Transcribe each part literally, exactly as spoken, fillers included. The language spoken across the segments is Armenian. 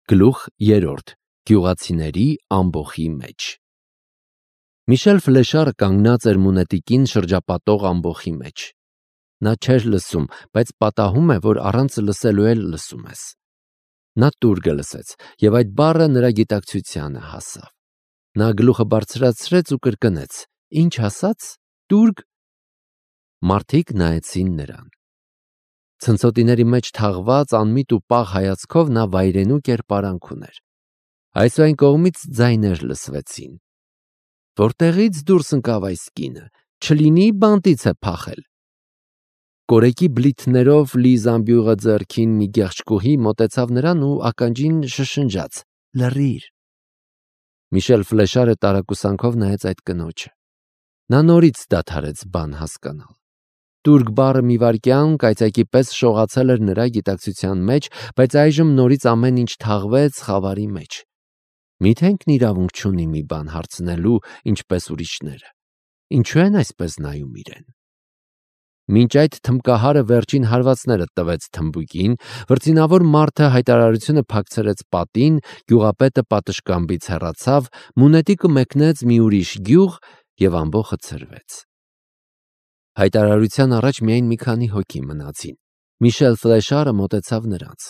Գլուխ երրորդ. Գյուղացիների ամբոխի մեջ։ Միշել Ֆլեշարը կանգնած էր Մունետիկին շրջապատող ամբոխի մեջ։ Նա չէր լսում, բայց պատահում է, որ առանց լսելու էլ լսում ես։ Նա տուրգը լսեց, և այդ բառը նրա գիտակցությանը հասավ։ Նա գլուխը բարձրացրեց ու կրկնեց. Ինչ ասաց, տուրգ։ Մարդիկ նայեցին նրան։ Ցնցոտիների մեջ թաղված անմիտ ու պաղ հայացքով նա վայրենու կերպարանք ուներ։ Այս ու այն կողմից ձայներ լսվեցին. Որտեղից դուրս ընկավ այս կինը, չլինի բանտից է փախել։ Կորեկի բլիթներով լի զամբյուղը ձեռքին մի գեղչկուհի մոտեցավ նրան ու ականջին շշնջաց. լռիր։ Միշել Ֆլեշարը տարակուսանքով նայեց այդ կնոջը։ Նա նորից դադարեց բան հասկանալ։ Տուրգ բառը մի վայրկյան կայծակի պես շողացել էր նրա գիտակցության մեջ, բայց այժմ նորից ամեն ինչ թաղվեց խավարի մեջ։ Միթե ինքն իրավունք չունի մի բան հարցնելու, ինչպես ուրիշները։ Ինչու են այսպես նայում իրեն։ Մինչ այդ թմբկահարը վերջին հարվածները տվեց թմբուկին, վրձինավոր մարդը հայտարարությունը փակցրեց պատին, գյուղապետը պատշգամբից հեռացավ, Մունետիկը մեկնեց մի ուրիշ գյուղ և ամբոխը ցրվեց։ Հայտարարության առաջ միայն մի քանի հոգի մնացին։ Միշել Ֆլեշարը մոտեցավ նրանց։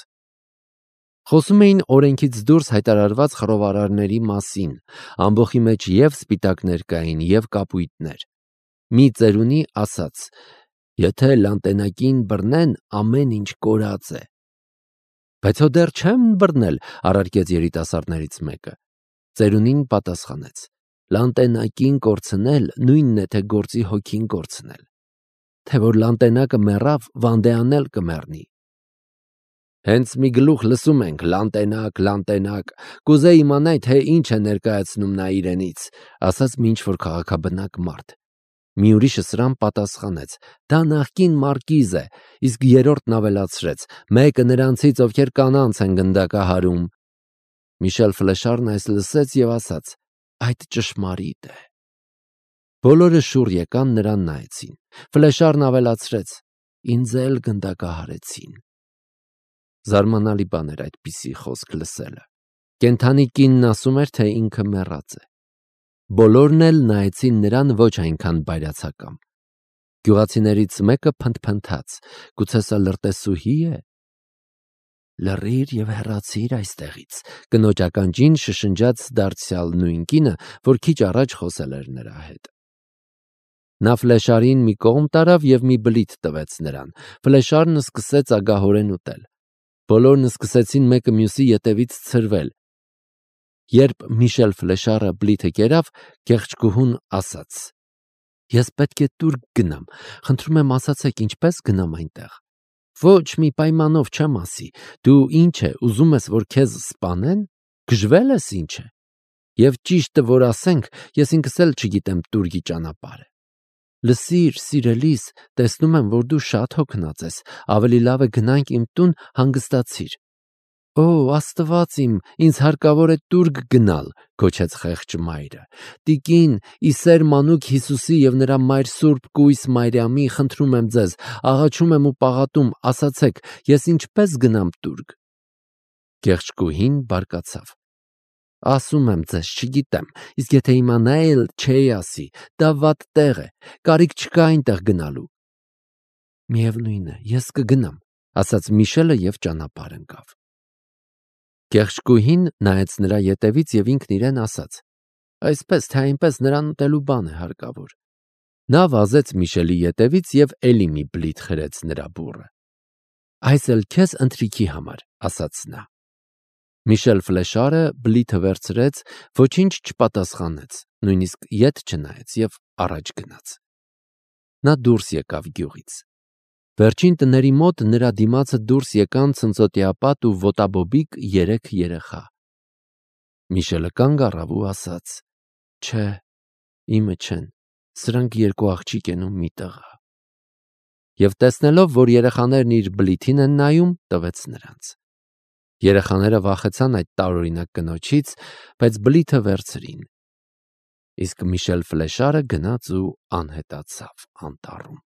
Խոսում էին օրենքից դուրս հայտարարված խռովարարների մասին, ամբոխի մեջ և սպիտակներ կային, և կապույտներ։ Մի ծերունի ասաց. Եթե լանտենակին բռնեն, ամեն ինչ կորած է։ Բայց հո դեռ չեմ բռնել, առարկեց երիտասարդներից մեկը։ Ծերունին պատասխանեց. Լանտենակին կորցնել նույնն է, թե գործի հոգին կորցնել։ Թե որ լանտենակը մեռավ, Վանդեանն էլ կմեռնի։ Հենց մի գլուխ լսում ենք. լանտենակ, լանտենակ, կուզեի իմանալ, թե ինչ է ներկայացնում նա իրենից, ասաց մի ինչ-որ քաղաքաբնակ մարդ։ Մի ուրիշը սրան պատասխանեց. դա նախկին մարկիզ է, իսկ երրորդն ավելացրեց. մեկը նրանցից, ովքեր կանանց են գնդակահարում։ Միշել Ֆլեշարն այս լսեց և ասաց. այդ ճշմարիտ է։ Բոլորը շուռ եկան նրան նայեցին։ Ֆլեշարն ավելացրեց. ինձ էլ գնդակահարեցին։ Զարմանալի բան էր այդպիսի խոսք լսելը։ Կենդանի կինն ասում էր, թե ինքը մեռած է։ Բոլորն էլ նայեցին նրան ոչ այնքան բայրացակամ։ Գյուղացիներից մեկը փնթփնթաց. գուցե սա լրտեսուհի է։ Լռիր և հեռացիր այստեղից, կնոջ ականջին շշնջաց դարձյալ նույն կինը, որ քիչ առաջ խոսել էր նրա հետ։ Նա Ֆլեշարին մի կողմ տարավ և մի բլիթ տվեց նրան։ Ֆլեշարն սկսեց ագահորեն ուտել։ Բոլորն սկսեցին մեկը մյուսի ետևից ցրվել։ Երբ Միշել Ֆլեշարը բլիթը կերավ, գեղչկուհուն ասաց. Ես պետք է տուրգ գնամ, խնդրում եմ ասացեք ինչպես գնամ այնտեղ։ Ոչ մի պայմանով չեմ ասի, դու ինչ է, ուզում ես, որ քեզ սպանեն, գժվել ես ինչ է։ Եվ ճիշտը որ ասենք, ես ինքս էլ չգիտեմ տուրգի ճանապարհը։ Լսիր, սիրելիս, տեսնում եմ, որ դու շատ հոգնած ես, ավելի լավ է գնանք իմ տուն, հանգստացիր։ Օ, Աստված իմ, ինձ հարկավոր է տուրգ գնալ, գոչեց խեղճ մայրը։ Տիկին, ի սեր մանուկ Հիսուսի և նրա մայր Սուրբ Կույս Մարիամի, խնդրում եմ ձեզ, աղաչում եմ ու պաղատում, ասացեք, ես ինչպես գնամ տուրգ։ Գեղչկուհին բարկացավ։ Ասում եմ ձեզ, չգիտեմ, իսկ եթե իմանայի էլ չէի ասի, դա վատ տեղ է, կարիք չկա այնտեղ գնալու։ Միևնույն է, ես կգնամ, ասաց Միշելը և ճանապարհ ընկավ։ Գեղչկուհին նայեց նրա ետևից և ինքն իրեն ասաց. այսպես թե այնպես նրան ուտելու բան է հարկավոր։ Նա վազեց Միշելի ետևից և էլի մի բլիթ խրեց նրա բուռը։ Այս էլ քեզ ընթրիքի համար, ասաց նա։ Միշել Ֆլեշարը բլիթը վերցրեց, ոչինչ չպատասխանեց, նույնիսկ ետ չնայեց և առաջ գնաց։ Նա դուրս եկավ գյուղից։ Վերջին տների մոտ նրա դիմացը դուրս եկան ցնցոտիապատ ու ոտաբոբիկ երեք երեխա։ Միշելը կանգ առավ ու ասաց. չէ, իմը չեն, սրանք երկու աղջիկ են ու մի տղա։ Եվ տեսնելով, որ երեխաներն իր բլիթին են նայում, տվեց նրանց։ Երեխաները վախեցան այդ տարօրինակ կնոջից, բայց բլիթը վերցրին։ Իսկ Միշել Ֆլեշարը գնաց ու անհետացավ անտառում։